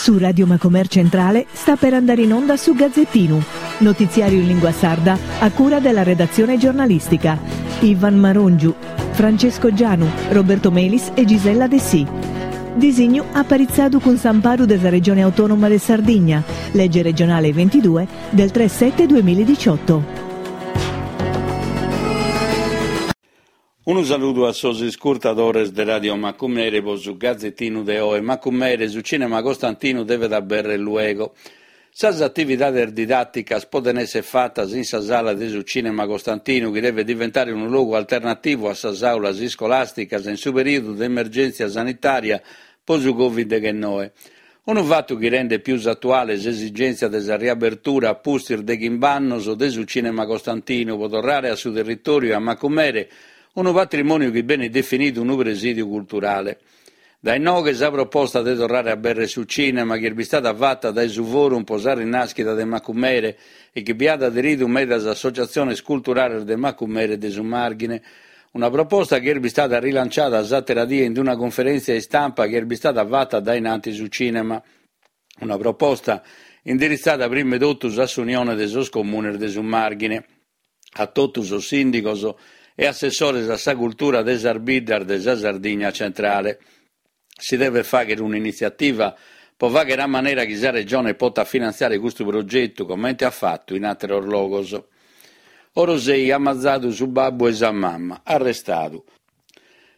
Su Radio Macomer Centrale sta per andare in onda su Gazzettinu, notiziario in lingua sarda a cura della redazione giornalistica. Ivan Marongiu, Francesco Gianu, Roberto Melis e Gisella Dessì. Disignu aparitzadu cun s'amparu de sa Regione Autonoma de Sardigna, lege regionale 22 del 3 7 2018. Unu saludu a sos iscurtadores de Radio Macumere pro su Gazetinu de oe. Macumere, su Cinema Costantinu devet aberrer luego. Sas atividades didàticas podent èssere fatas in sa sala de su Cinema Costantinu chi devet diventare unu logu alternativu a sas àulas iscolàsticas in su perìodu de emergèntzia sanitària pro su Covid deghennoe. Unu fatu chi rendet pius atuale s'esigèntzia de sa riabertura a pustis de chimb'annos de su Cinema Costantinu pro torrare a su territòriu e a Macumere unu patrimòniu chi benit definidu unu presìdiu culturale. Dae inoghe sa proposta de torrare a aberrer su cinema chi est bistada fata dae su Forum pro sa Rinàschida de Macumere e chi bi at aderidu medas associatziones culturales de Macumere e de su Màrghine. Una proposta chi est bistada rilanciada s'àtera die in una cunferèntzia istampa chi est bistada fata dae in antis su cinema. Una proposta indiritzada prima 'e totus a s'Unione de sos Comunes de su Màrghine, a totu sos sìndigos e assessores a sa cultura de sas biddas de sa Sardigna centrale. Si devet fàghere un'initziativa pro fàghere a manera chi sa Regione potat finantziare custu progetu comente at fatu in àteros logos. Orosei at mazadu su babbu e sa mama, arrestadu.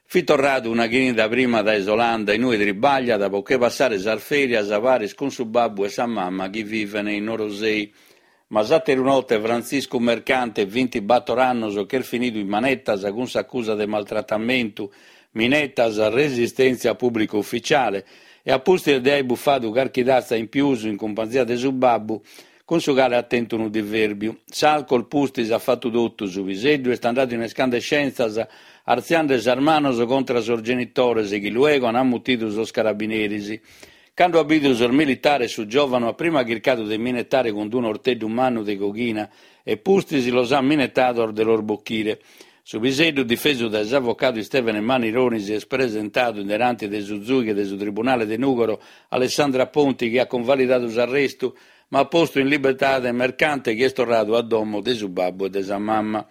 Fit torradu una chinida prima dae s'Olanda in ue tribagliat pro che passare sas ferias paris cun su babbu e sa mama chi viven in Orosei. Ma s'ateru note Frantziscu Mercante, vintibator annos, ch'est finidu in manetas cun s'acusa de maltratamentu, minetas, resistèntzia a pùblicu uficiale e a pustis de aer bufadu carchi tatza in pius in cumpanzia de su babbu, cun su cale at tentu unu divèrbiu. S'alcol pustis at fatu totu, su piseddu est andadu in escandescèntzias artziande sas manos contra sos genitores chi luego an mutidu sos carabineris. Cando at bidu sos militares su giòvanu at prima chircadu de minetare cun unu orteddu mannu de coghina e pustis los at minetados de los bochire. Su piseddu, difesu dae s'avocadu Istèvene Manironi, si est presentadu in deranti de su zùighe de su Tribunale de Nùgoro, Alessandra Ponti, chi at cunvalidadu s'arrestu, ma at postu in libertade Mercante chi est torradu a domo de su babbu e de sa mamma.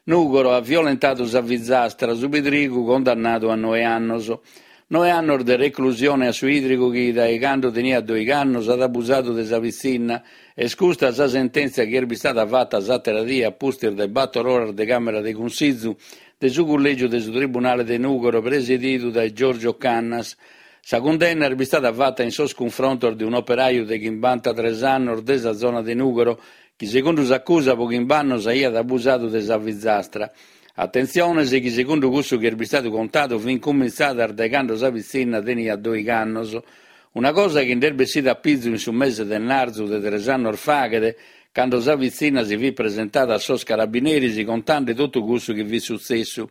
Nùgoro at violentadu sa fizastra, su pidrigu condannadu a noe annos. Noe annos de reclusione a su 'idrigu chi, dae cando teniat doigh'annos, at abusadu de sa pitzinna. Est custa sa sentèntzia chi est bistada fata s'àtera die a pustis de bator oras de càmera de cunsizu de su cullègiu de su Tribunale de Nùgoro presididu dae Giorgio Cannas. Sa cundenna est bistada fata in sos cunfrontos de un'operaju de chimbantatres annos de sa zona de Nùgoro chi segundu s'acusa pro chimb'annos aiat abusadu de sa fizastra. Atentziones chi segundu cussu chi est bistadu contadu fin cumintzadas dae cando sa pitzinna teniat doigh'annos. Una cosa chi nd'est bessida a pizu in su mese de narzu de tres annos faghet, cando sa pitzinna si fit presentada a sos carabineris contande totu cussu chi fit sutzessu.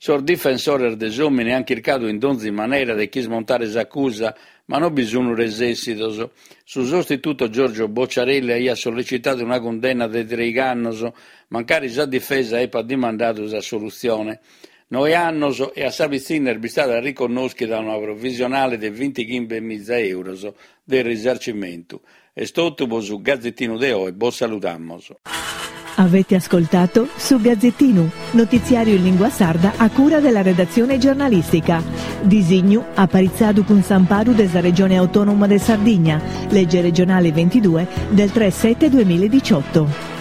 Sos difensores de s'òmine ant chircadu in donzi manera de ch'ismontare s'acusa, ma non bi sun resessidos. Su sostituto Giorgio Bocciarelli aiat sollecitadu una cundenna de treigh'annos, mancari sa difesa epat dimandadu s'assolutzione. Noe annos e a sa pitzinna est bistada riconnoschida una provisionale de vintichimbemiza euros de risarcimentu. Est totu pro su Gazetinu de oe, bos saludamos. Avete ascoltato Su Gazzettinu, notiziario in lingua sarda a cura della redazione giornalistica. Disignu aparitzadu cun s'amparu de sa Regione Autonoma de Sardigna, legge regionale 22 del 3 7 2018.